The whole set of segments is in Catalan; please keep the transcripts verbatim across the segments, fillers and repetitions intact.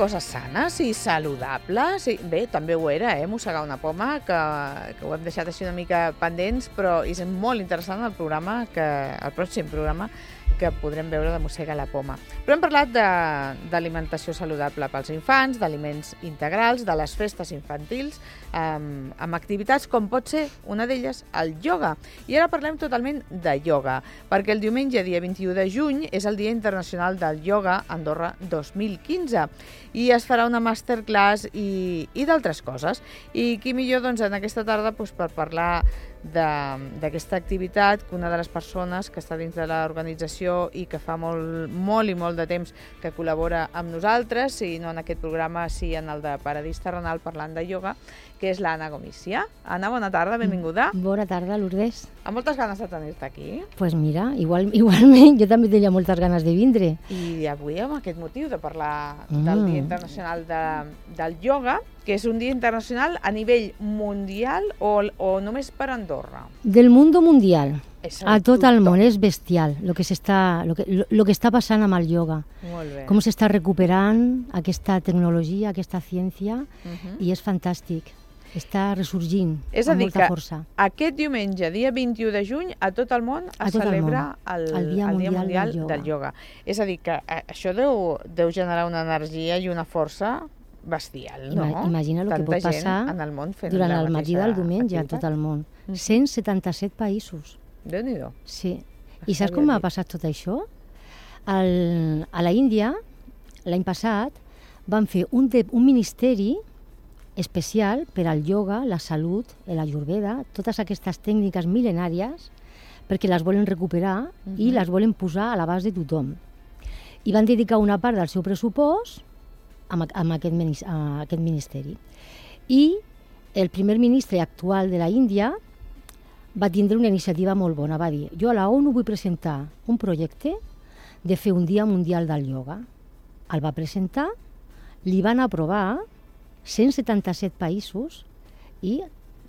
coses sanes i saludables. I, bé, també ho era, eh, mossegar una poma, que, que ho hem deixat així una mica pendents, però és molt interessant el programa, que, el pròxim programa, que podrem veure de mossegar la poma. Però hem parlat d'alimentació saludable pels infants, d'aliments integrals, de les festes infantils, amb, amb activitats com pot ser una d'elles el ioga. I ara parlem totalment de ioga, perquè el diumenge, dia vint-i-u de juny, és el Dia Internacional del Ioga Andorra dos mil quinze i es farà una masterclass i, i d'altres coses. I qui millor doncs, en aquesta tarda doncs, per parlar d'aquesta activitat, que una de les persones que està dins de l'organització i que fa molt, molt i molt de temps que col·labora amb nosaltres, i no en aquest programa, sí en el de Paradís Terrenal parlant de ioga, que és l'Anna Gomícia. Anna, bona tarda, benvinguda. Bona tarda, Lourdes. Amb moltes ganes de tenir-te aquí. Doncs pues mira, igual, igualment, jo també tenia moltes ganes de vindre. I avui amb aquest motiu de parlar mm. del Dia Internacional de, del Ioga, que és un dia internacional a nivell mundial o, o només per Andorra? Del mundo mundial. A tot el món, és bestial el que, lo que, lo, lo que està passant amb el ioga. Molt bé. Com s'està recuperant aquesta tecnologia, aquesta ciència, uh-huh. i és fantàstic. Està ressorgint és amb molta força. És a dir, que aquest diumenge, dia vint-i-u de juny, a tot el món es celebra el, el, Dia, el dia Mundial del, del Ioga. És a dir, que això deu, deu generar una energia i una força bestial, no? Imagina el que pot passar en el món fent durant el matí del diumenge a tot el món. cent setanta-set països. Déu-n'hi-do. Sí. I saps com ha passat tot això? El, a la Índia, l'any passat, van fer un, de, un ministeri especial per al ioga, la salut, l'ayurveda, totes aquestes tècniques mil·lenàries, perquè les volen recuperar uh-huh. i les volen posar a l'abast de tothom. I van dedicar una part del seu pressupost a, a, aquest, a aquest ministeri. I el primer ministre actual de la Índia va tindre una iniciativa molt bona, va dir, jo a la ONU vull presentar un projecte de fer un dia mundial del ioga. El va presentar, li van aprovar cent setanta-set països i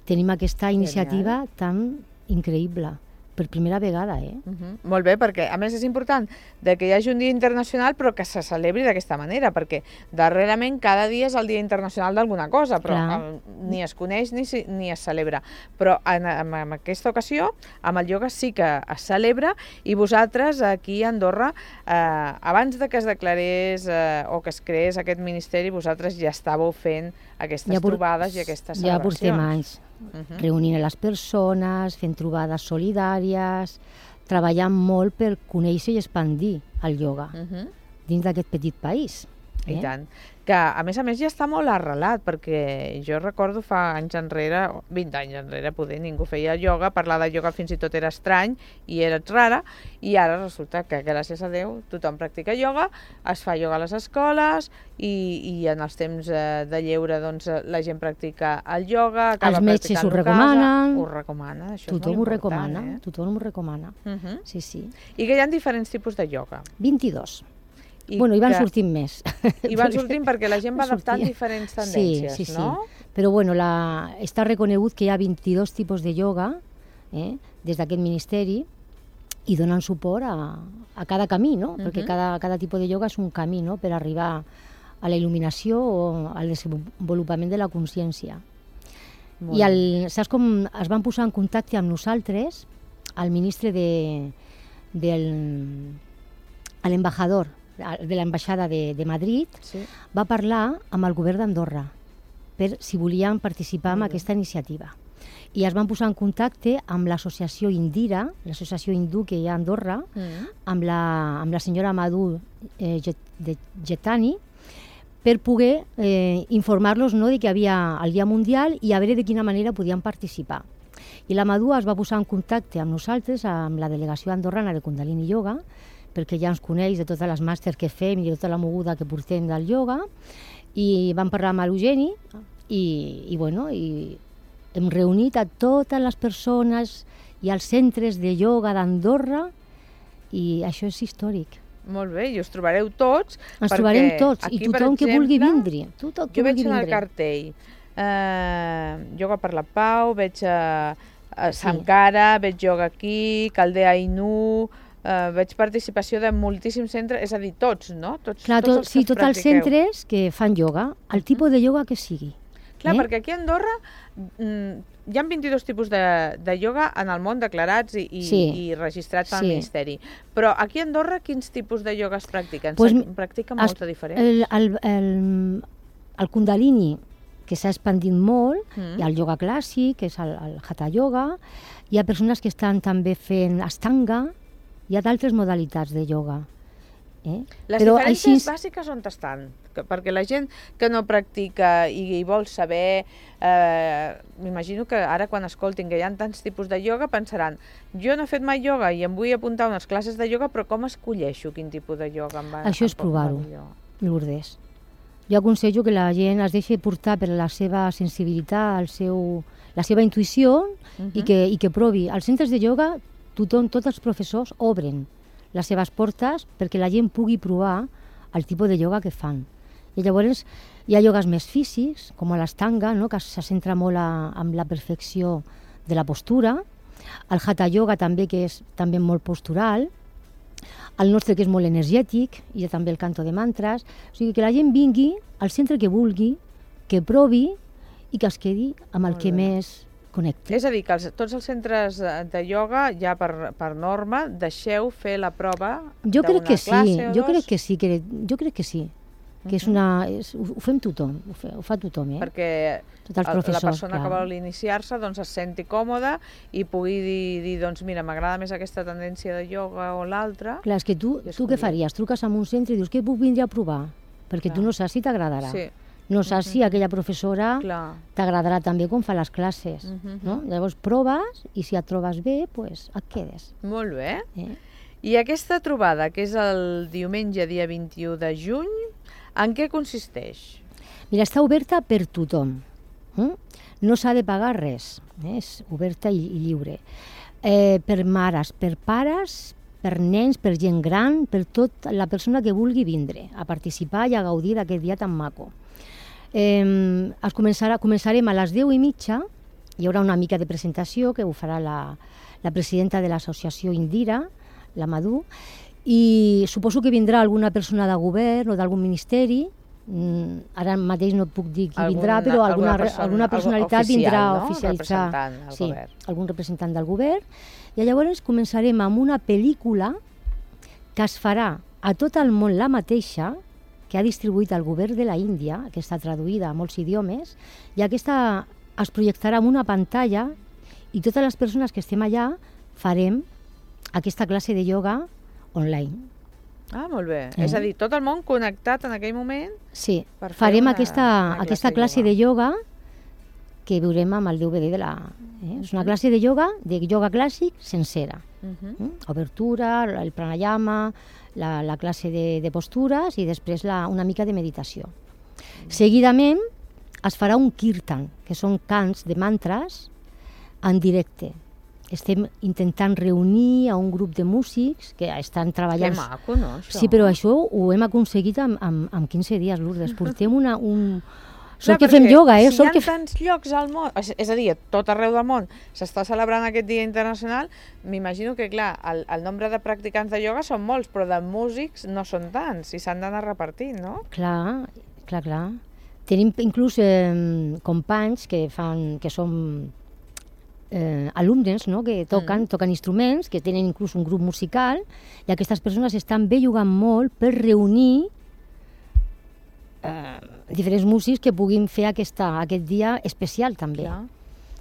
tenim aquesta iniciativa Genial. Tan increïble. Per primera vegada, eh? Uh-huh. Molt bé, perquè a més és important de que hi hagi un dia internacional però que se celebri d'aquesta manera, perquè darrerament cada dia és el dia internacional d'alguna cosa, però Clar. ni es coneix ni, ni es celebra. Però en, en, en aquesta ocasió, amb el ioga sí que es celebra, i vosaltres aquí a Andorra, eh, abans de que es declarés eh, o que es creés aquest ministeri, vosaltres ja estàveu fent aquestes ja por, trobades i aquestes ja celebracions. Ja portem anys. Uh-huh. Reunint a les persones, fent trobades solidàries, treballant molt per conèixer i expandir el ioga uh-huh. dins d'aquest petit país. Eh? I tant. Que, a més a més, ja està molt arrelat, perquè jo recordo fa anys enrere, vint anys enrere, poder ningú feia ioga, parlar de ioga fins i tot era estrany i era rara, i ara resulta que, gràcies a Déu, tothom practica ioga, es fa ioga a les escoles, i, i en els temps de lleure doncs, la gent practica el ioga, acaba els metges ho recomanen. Ho recomanen, això tothom és molt ho recomana, important. Eh? Tothom ho recomana, uh-huh. sí, sí. I que hi ha diferents tipus de ioga? vint-i-dos. I bueno, hi van que... sortint més. I van sortint perquè la gent va adaptant diferents tendències, sí, sí, no? Sí. Però bueno, la... està reconegut que hi ha vint-i-dos tipus de ioga eh, des d'aquest ministeri i donen suport a, a cada camí, no? Uh-huh. Perquè cada, cada tipus de ioga és un camí, no?, per arribar a la il·luminació o al desenvolupament de la consciència. I el, saps com es van posar en contacte amb nosaltres, el ministre de, del, l'embajador de l'ambaixada de, de Madrid, sí. va parlar amb el govern d'Andorra per si volien participar en aquesta iniciativa. I es van posar en contacte amb l'associació Indira, l'associació hindú que hi ha a Andorra, mm. amb, la, amb la senyora Madhu eh, Getani, per poder eh, informar-los, no, de que hi havia el Dia Mundial i a veure de quina manera podien participar. I la Madhu es va posar en contacte amb nosaltres, amb la delegació andorrana de Kundalini Yoga, perquè ja ens coneix de totes les màsters que fem i de tota la moguda que portem del ioga, i vam parlar amb l'Eugeni i, i, bueno, i hem reunit a totes les persones i els centres de ioga d'Andorra, i això és històric. Molt bé, i us trobareu tots. Ens trobarem tots, i tothom que vulgui vindre. Tothom que jo veig vulgui en el vindre. cartell eh, Ioga per la Pau, veig a, a Sankara, sí. veig ioga aquí, Caldea Ainu, eh, veig participació de moltíssims centres, és a dir, tots, no? Tots, Clar, tots tot, els sí, que tots els practiqueu. centres que fan ioga, el tipus de ioga que sigui. Clar, eh? perquè aquí a Andorra mm, hi ha vint-i-dos tipus de, de ioga en el món declarats i, i, Sí. i registrats al Sí. Ministeri. Però aquí a Andorra quins tipus de ioga es practiquen? Pues, Se practiquen molts es- de diferents? El, el, el, el Kundalini, que s'ha expandit molt, Mm. hi ha el ioga clàssic, que és el, el Hatha Yoga, hi ha persones que estan també fent Ashtanga, hi ha d'altres modalitats de ioga. Eh? Les Però diferències així- bàsiques on estan? Que, perquè la gent que no practica i, i vol saber, eh, m'imagino que ara quan escoltin que hi ha tants tipus de ioga pensaran, jo no he fet mai ioga i em vull apuntar a unes classes de ioga, però com escolleixo quin tipus de ioga em va? Això és em pot- provar-ho. va millor? Lourdes. Jo aconsello que la gent es deixi portar per la seva sensibilitat, el seu, la seva intuïció i, Mhm. que, i que provi. Als centres de ioga, tothom, tots els professors obren les seves portes perquè la gent pugui provar el tipus de ioga que fan. I llavors hi ha iogues més físics, com l'Ashtanga, no? Que se centra molt a, en la perfecció de la postura. El Hatha Yoga també, que és també molt postural. El nostre, que és molt energètic, i hi ha també el canto de mantres. O sigui, que la gent vingui al centre que vulgui, que provi i que es quedi amb el Molt que bé. més connecti. És a dir, que els, tots els centres de de ioga, ja per, per norma, deixeu fer la prova Jo crec d'una que sí, classe o jo dos? crec que sí, que, jo crec que sí. Que és una, és, ho, ho fem tothom, ho, fe, ho fa tothom, eh? Perquè Tots els el- professors, la persona clar. que vol iniciar-se doncs, es senti còmoda i pugui dir, dir doncs mira, m'agrada més aquesta tendència de ioga o l'altra. Clar, és que tu, I tu què escollir. faries? Truques a un centre i dius que puc vindre a provar? Perquè Clar. tu no saps si t'agradarà. Sí, No saps si aquella professora clar. t'agradarà també com fa les classes. Mhm. No? Llavors proves i si et trobes bé, pues, et quedes. Molt bé. Eh? I aquesta trobada, que és el diumenge, dia vint-i-u de juny, en què consisteix? Mira, està oberta per tothom. Mm? No s'ha de pagar res, eh? És oberta i, i lliure. Eh, per mares, per pares, per nens, per gent gran, per tota la persona que vulgui vindre a participar i a gaudir d'aquest dia tan maco. Eh, es començarà, començarem a les deu i mitja, hi haurà una mica de presentació que ho farà la, la presidenta de l'associació Indira, la Madú, i suposo que vindrà alguna persona de govern o d'algun ministeri. Mm, ara mateix no et puc dir qui Alguna- vindrà, però alguna, alguna persona- alguna personalitat oficial, vindrà no? a oficialitzar. Representant del sí, govern. algun representant del govern. I llavors començarem amb una pel·lícula que es farà a tot el món la mateixa, que ha distribuït el govern de la Índia, que està traduïda a molts idiomes, i aquesta es projectarà en una pantalla i totes les persones que estem allà farem aquesta classe de ioga online. Ah, molt bé. Eh? És a dir, tot el món connectat en aquell moment. Sí, Per fer farem una- aquesta, una aquesta classe classe de de ioga que veurem amb el D V D de la... Eh? És una classe de ioga, de ioga clàssic, sencera. Uh -huh. Mm? Obertura, el pranayama, la, la classe de, de postures i després la, una mica de meditació. Seguidament es farà un kirtan, que són cants de mantres en directe. Estem intentant reunir a un grup de músics que estan Que treballant... maco, no, això? Sí, però això ho hem aconseguit en, en, en quinze dies, Lourdes. Portem una... Un... Sort Clar, que fem perquè ioga, eh? Si Sort hi ha que... f- tants llocs al món, és és a dir, a tot arreu del món, s'està celebrant aquest dia internacional, m'imagino que, clar, el, el nombre de practicants de ioga són molts, però de músics no són tants, i s'han d'anar repartint, no? Clar, clar, clar. Tenim inclús eh, companys que fan, que són eh, alumnes, no?, que toquen, Mm. toquen instruments, que tenen inclús un grup musical, i aquestes persones estan bellugant molt per reunir eh, diferents músics que puguin fer aquesta, aquest dia especial també. Clar.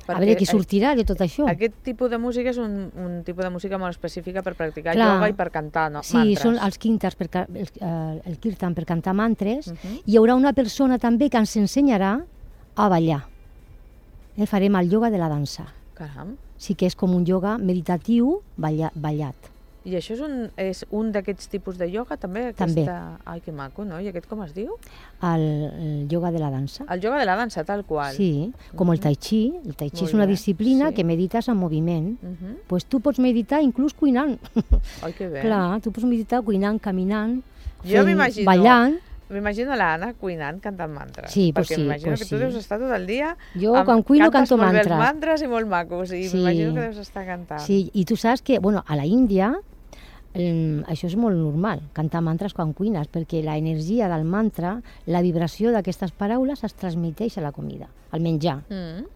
A veure què sortirà de tot això. Aquest tipus de música és un, un tipus de música molt específica per practicar Clar. ioga i per cantar, no? Sí, mantres. són els quintars per, ca- el, eh, el kirtan per cantar mantres. Uh -huh. Hi haurà una persona també que ens ensenyarà a ballar. Eh, farem el ioga de la dansa. Caram. Sí que és com un ioga meditatiu balla, ballat. I això és un, és un d'aquests tipus de ioga, també? Aquesta... També. Ai, que maco, no? I aquest com es diu? El, el ioga de la dansa. El ioga de la dansa, tal qual. Sí, com el tai chi. El tai chi Molt és una bé, disciplina sí. que medites en moviment. Uh -huh. Pues tu pots meditar inclús cuinant. Ai, que bé. Clar, tu pots meditar cuinant, caminant, Jo fent- m'imagino- ballant. M'imagino l'Anna cuinant, cantant mantres. Sí, pues perquè sí, m'imagino pues que tu sí. deus estar tot el dia... Jo, amb- quan cuino, cantes canto molt bé els mantres. mantres i molt macos, i Sí. m'imagino que deus estar cantant. Sí, i tu saps que, bueno, a la Índia el, això és molt normal, cantar mantres quan cuines, perquè l'energia del mantra, la vibració d'aquestes paraules es transmeteix a la comida, al menjar. Mm.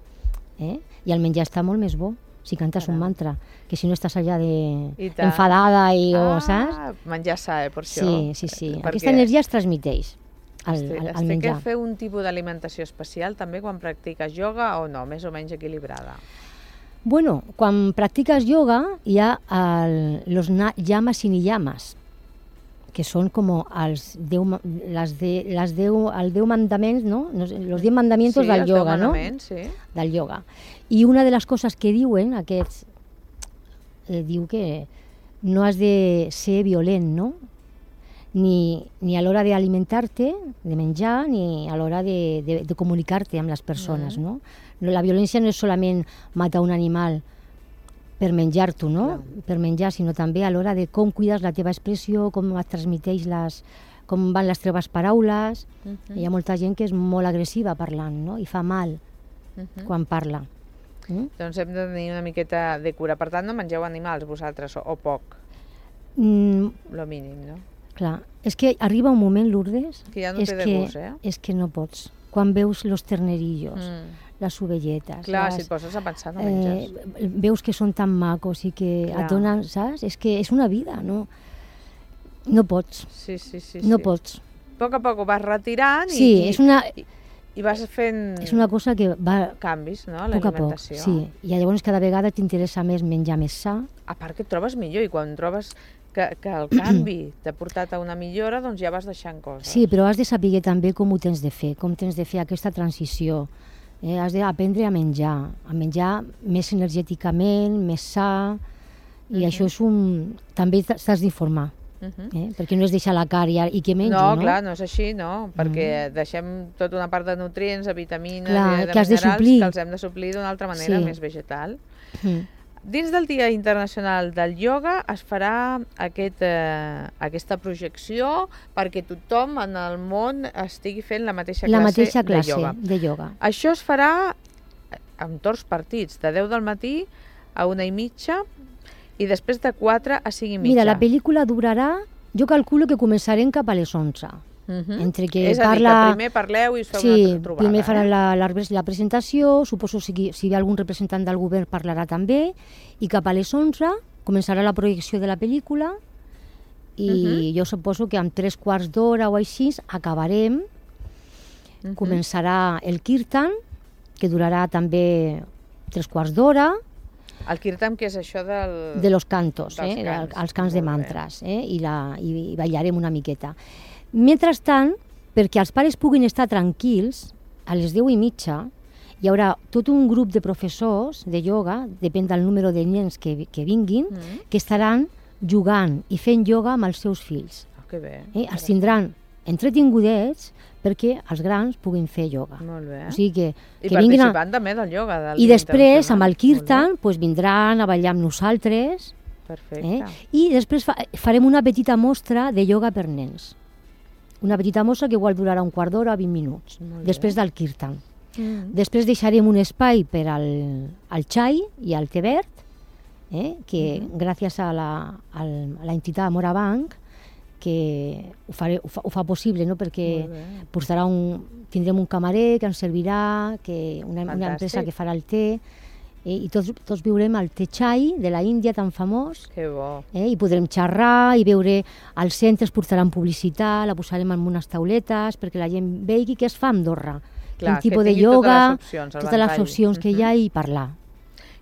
Eh? I el menjar està molt més bo si cantes Caram. un mantra, que si no estàs allà de enfadada i, ah, o, saps? Menjar sa, eh, per això. Sí, sí, sí. Perquè aquesta energia es transmeteix al, al, al menjar. Has de fer un tipus d'alimentació especial també quan practiques ioga o no, més o menys equilibrada? Bueno, quan practiques yoga hi ha el, los yamas y niyamas, que són com els deu, les de, les deu, el deu mandaments, no? Los diez mandamientos sí, del yoga, no? Sí. Del yoga. I una de les coses que diuen aquests, eh, diu que no has de ser violent, no? Ni, ni a l'hora d'alimentar-te, de menjar, ni a l'hora de, de, de comunicar-te amb les persones, mm. no? La violència no és solament matar un animal per menjar-t'ho, no? Clar. Per menjar, sinó també a l'hora de com cuides la teva expressió, com et transmeteix les, com van les teves paraules. Uh-huh. Hi ha molta gent que és molt agressiva parlant, no? I fa mal uh-huh. quan parla. Mm? Doncs hem de tenir una miqueta de cura. Per tant, no mengeu animals vosaltres, o, o poc? Mm. Lo mínim, no? Clar, és que arriba un moment, Lourdes, que ja no és, té de que, gust, eh? és que no pots. Quan veus los ternerillos, mm. les ovelletes... Clar, les, si et poses a pensar, no menges. Eh, veus que són tan macos i que Clar. et donen, saps? És que és una vida, no? No pots. Sí, sí, sí. No sí. pots. A poc a poc ho vas retirant i, sí, és una, i, i vas fent és una cosa que va canvis, no? A poc a poc, sí. I llavors cada vegada t'interessa més menjar més sa. A part que et trobes millor i quan trobes que, que el canvi t'ha portat a una millora, doncs ja vas deixant coses. Sí, però has de saber també com ho tens de fer, com tens de fer aquesta transició. Eh, has d'aprendre a menjar, a menjar més energèticament, més sa, i uh-huh. això és un... També t'has d'informar, uh-huh. eh? perquè no és deixar la carn i, i que menjo, no? No, clar, no és així, no? Perquè uh-huh. deixem tota una part de nutrients, de vitamines clar, i de que minerals suplir. que els hem de suplir d'una altra manera, sí. més vegetal. Uh-huh. Dins del Dia Internacional del Ioga es farà aquest, eh, aquesta projecció perquè tothom en el món estigui fent la mateixa classe, la mateixa classe de, ioga. de ioga. Això es farà en torns partits, de deu del matí a una i mitja i després de quatre a cinc i mitja. Mira, la pel·lícula durarà, jo calculo que començarem cap a les onze. Uh-huh. Entre que és parla... a dir, que primer parleu i us feu sí, una trobada. Primer faran eh? la, la, la presentació, suposo si, si hi ha algun representant del govern parlarà també, i cap a les onze començarà la projecció de la pel·lícula i uh-huh. jo suposo que amb tres quarts d'hora o així acabarem, uh-huh. començarà el kirtan, que durarà també tres quarts d'hora. El kirtan, que és això del... De los cantos, eh? cants. Els cants de mantres, eh? I, la, i, i ballarem una miqueta. Mentrestant, perquè els pares puguin estar tranquils, a les deu i mitja hi haurà tot un grup de professors de ioga, depèn del número de nens que, que vinguin, mm. que estaran jugant i fent ioga amb els seus fills. Oh, que bé. Eh? Els tindran entretingudets perquè els grans puguin fer ioga. Molt bé. O sigui que, I que vinguin a... participant també del ioga. Del I després, amb el kirtan, pues, vindran a ballar amb nosaltres. Perfecte. Eh? I després fa, farem una petita mostra de ioga per nens. Una petita mostra que igual durarà un quart d'hora o vint minuts, després del kirtan. Mm. Després deixarem un espai per al, al xai i al té verd, eh? que mm-hmm. gràcies a la, a la entitat Morabanc, que ho, faré, ho, fa, ho fa possible, no? Perquè portarà un, tindrem un camarer que ens servirà, que una, una empresa que farà el té, eh? i tots, tots viurem el té xai de la Índia tan famós. Que bo. Eh? I podrem xerrar i veure, als centres portaran publicitat, la posarem en unes tauletes perquè la gent vegi què es fa a Andorra. Clar, quin tipus de ioga, totes les opcions, totes les opcions que uh-huh. hi ha i parlar.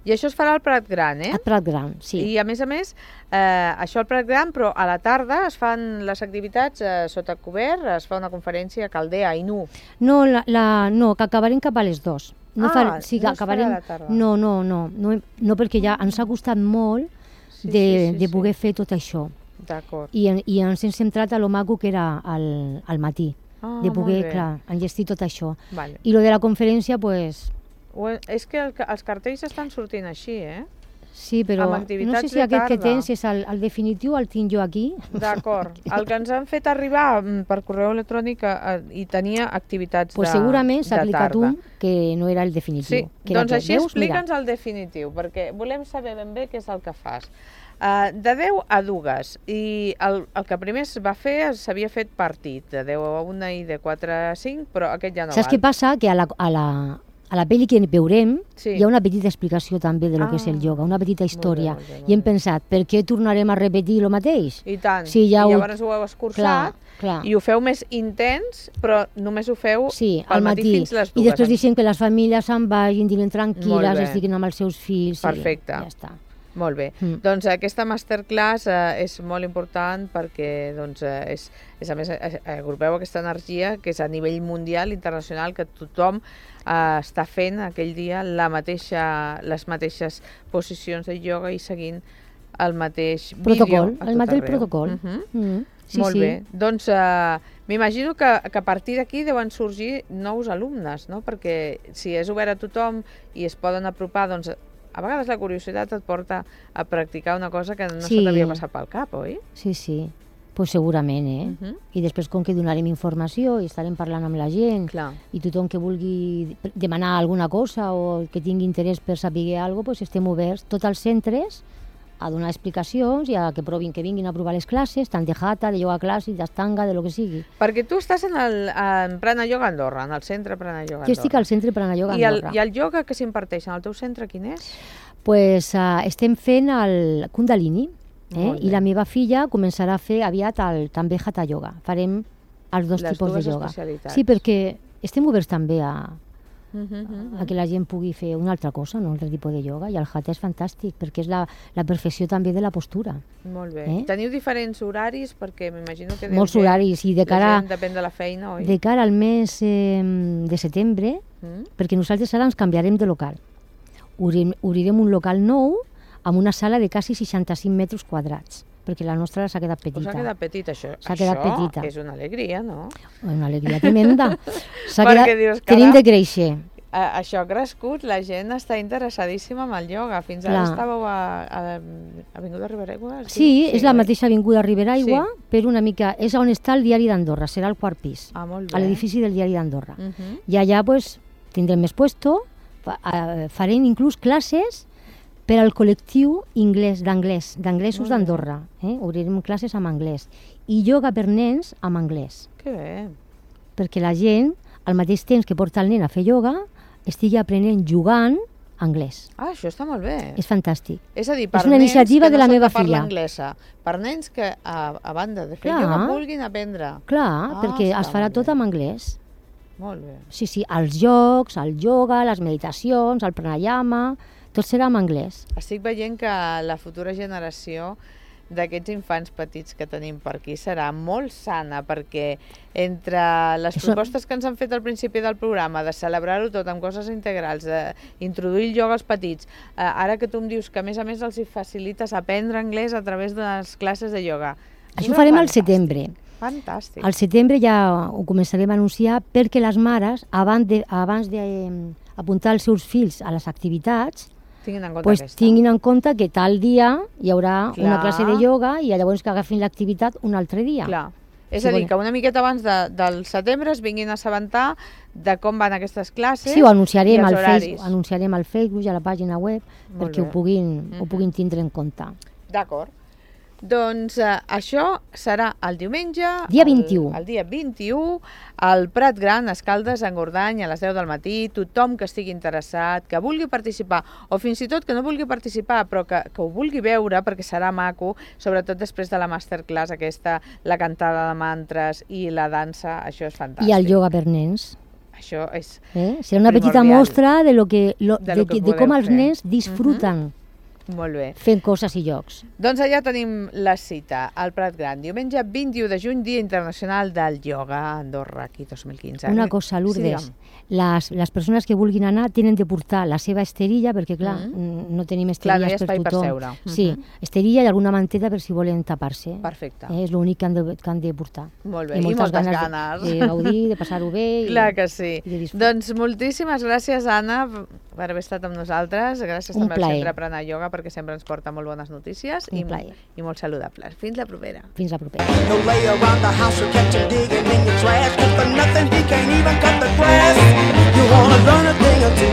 I això es farà al Prat Gran, eh? Al Prat Gran, sí. I a més a més, eh, això al Prat Gran, però a la tarda es fan les activitats eh, sota cobert, es fa una conferència a Caldea, a Inú. No, la, la, no, que acabarem cap a les dues. No ah, fa, sí, no acabarem, es farà a la tarda. No, no, no, no, no perquè ja ens ha costat molt sí, de, sí, sí, de poder sí. fer tot això. D'acord. I, I ens hem centrat a lo maco que era al, al matí, ah, de poder, clar, enllestir tot això. Vale. I lo de la conferència, pues... O és que el, els cartells estan sortint així, eh? Sí, però amb no activitats sé si de aquest que tarda. tens és el, el definitiu, el tinc jo aquí. D'acord. El que ens han fet arribar mm, per correu electrònic eh, i tenia activitats Pues de, segurament s'ha de aplicat tarda. un que no era el definitiu. Sí, que era doncs aquest. així Veus? Mira. explica'ns el definitiu, perquè volem saber ben bé què és el que fas. Uh, de deu a dues, i el, el que primer es va fer s'havia fet partit, de deu a una i de quatre a cinc, però aquest ja no Saps val. què passa? Que a la, a la, a la pel·li que veurem Sí. hi ha una petita explicació també de lo Ah, que és el ioga, una petita història. molt bé, molt bé, I hem molt bé. pensat, per què tornarem a repetir el mateix? I tant, Sí, ja i ho- llavors ho heu escurçat, Clar, clar. i ho feu més intens, però només ho feu Sí, al al matí, matí. fins les I dues. després deixem que les famílies se'n vagin, dinen Molt tranquil·les, bé. estiguin amb els seus fills. Perfecte. I ja està. Molt bé. Mm. Doncs aquesta masterclass eh, és molt important perquè doncs, eh, és, és, a més, eh, agrupeu aquesta energia que és a nivell mundial, internacional, que tothom eh, està fent aquell dia la mateixa, les mateixes posicions de ioga i seguint el mateix Protocol, vídeo a el tot mateix arreu. protocol. Mhm. Mm. Sí, Molt sí. bé. Doncs eh, m'imagino que, que a partir d'aquí deuen sorgir nous alumnes, no? Perquè si és obert a tothom i es poden apropar, doncs a vegades la curiositat et porta a practicar una cosa que no Sí. se t'havia passat pel cap, oi? Sí, sí. Pues segurament, eh? Uh -huh. I després, com que donarem informació i estarem parlant amb la gent, Clar. i tothom que vulgui demanar alguna cosa o que tingui interès per saber alguna cosa, pues estem oberts, tots els centres, a donar explicacions i a que provin, que vinguin a provar les classes, tant de hatha, de yoga clàssic, d'astanga, de lo que sigui. Perquè tu estàs en, el, en Prana Yoga Andorra, en el centre Prana Yoga Andorra. Jo estic al centre Prana Yoga I el, Andorra. I el ioga que s'imparteix en el teu centre, quin és? Pues, uh, estem fent el Kundalini, eh? Molt bé. I la meva filla començarà a fer aviat el, també Hatha Yoga. Farem els dos Les tipus dues de yoga. especialitats. Sí, perquè estem oberts també a, Uh -huh, uh -huh. a que la gent pugui fer una altra cosa, un altre tipus de yoga, i el Hatha és fantàstic, perquè és la, la perfecció també de la postura. Molt bé. Eh? Teniu diferents horaris? Perquè m'imagino que... deu Molts ser- horaris, i de la cara, gent depèn de la feina, oi? de cara al mes eh, de setembre, Mm? perquè nosaltres ara ens canviarem de local. Obrirem, obrirem un local nou amb una sala de quasi seixanta-cinc metres quadrats, perquè la nostra s'ha quedat Us petita. ha quedat petit, això. S'ha quedat això petita. és una alegria, no? Una alegria tremenda. S'ha Perquè quedat... dius, Tenim caram, de créixer. A, això ha crescut, la gent està interessadíssima amb el ioga. Fins ara Clar. estàveu a, a Avinguda Riberaigua? es Sí, diu? és la oi? mateixa avinguda Riberaigua, Sí. però una mica... És on està el diari d'Andorra, serà el quart pis, Ah, molt a bé. l'edifici del diari d'Andorra. Uh -huh. I allà pues, tindrem més puesto, fa, eh, farem inclús classes per al col·lectiu inglès d'anglès, d'anglesos Molt bé. d'Andorra. Eh? Obrirem classes amb anglès. I yoga per nens amb anglès, Que bé. perquè la gent, al mateix temps que porta el nen a fer yoga, estigui aprenent jugant anglès. Ah, això està molt bé. És fantàstic. És a dir, per és una nens iniciativa que de no la són meva parla filla. anglesa, per nens que, a, a banda de fer Clar. ioga, vulguin aprendre. Clar, Ah, perquè està es farà molt tot bé. amb anglès. Molt bé. Sí, sí, els jocs, el yoga, les meditacions, el pranayama, tot serà en anglès. Estic veient que la futura generació d'aquests infants petits que tenim per aquí serà molt sana, perquè entre les Això- propostes que ens han fet al principi del programa, de celebrar-ho tot amb coses integrals, d'introduir el ioga als petits, eh, ara que tu em dius que a més a més els hi facilites aprendre anglès a través de les classes de ioga. Això ho és farem al fantàstic, setembre. Fantàstic. Al setembre ja ho començarem a anunciar perquè les mares, abans de, abans de eh, apuntar els seus fills a les activitats, Tinguin en compte pues, aquesta. tinguin en compte que tal dia hi haurà Clar. una classe de ioga i llavors que agafin l'activitat un altre dia. Clar. És Sí, a dir, bueno. que una miqueta abans de, del setembre es vinguin a assabentar de com van aquestes classes. Sí, ho anunciarem i els al, horaris. Facebook, anunciarem al Facebook i a la pàgina web Molt perquè bé. ho puguin, Mhm. ho puguin tindre en compte. D'acord. Doncs eh, això serà el diumenge... Dia el- vint-i-u. El, dia vint-i-u, al Prat Gran, a Escaldes, a Engordany, a les deu del matí. Tothom que estigui interessat, que vulgui participar, o fins i tot que no vulgui participar, però que, que ho vulgui veure, perquè serà maco, sobretot després de la masterclass aquesta, la cantada de mantres i la dansa, això és fantàstic. I el yoga per nens. Això és... Eh? Serà una petita Primordial. mostra de, lo que, lo, De de, lo que que, de com podeu els fer. nens disfruten Molt bé. fent coses i jocs. Doncs allà tenim la cita, al Prat Gran, diumenge vint-i-u de juny, Dia Internacional del Ioga a Andorra, aquí dos mil quinze. Una cosa, Sí, Lourdes, digue'm. les, les persones que vulguin anar tenen de portar la seva esterilla, perquè clar, Mhm. no tenim Clar, no hi ha esterilles espai per per tothom. seure. Sí, Mhm. esterilla i alguna manteta per si volen tapar-se. Perfecte. Eh, és l'únic que, han de, que han de portar. Molt bé, i moltes ganes. De, de gaudir, de passar-ho bé. Clar i, que sí. i de disfrutar. Doncs moltíssimes gràcies, Anna. per haver estat amb nosaltres. Gràcies Un també al plaer. Centre Prana Yoga perquè sempre ens porta molt bones notícies Un i, plaer. i molt saludables. Fins la propera. Fins la propera. No lay around the house or catch him digging in your trash. Cause for nothing he can't even cut the grass. You wanna learn a thing or two